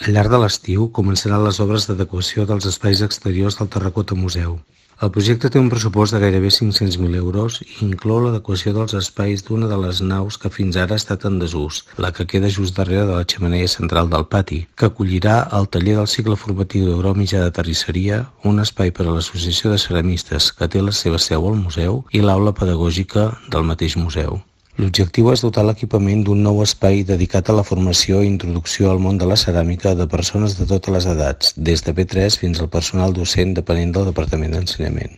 Al llarg de l'estiu començaran les obres d'adequació dels espais exteriors del Terracota Museu. El projecte té un pressupost de gairebé 500.000 euros i inclou l'adequació dels espais d'una de les naus que fins ara ha estat en desús, la que queda just darrere de la xemeneia central del pati, que acollirà el taller del cicle formatiu de grau mitjà de terrisseria, un espai per a l'Associació de Ceramistes que té la seva seu al museu i l'aula pedagògica del mateix museu. L'objectiu és dotar l'equipament d'un nou espai dedicat a la formació i introducció al món de la ceràmica de persones de totes les edats, des de P3 fins al personal docent depenent del Departament d'Ensenyament.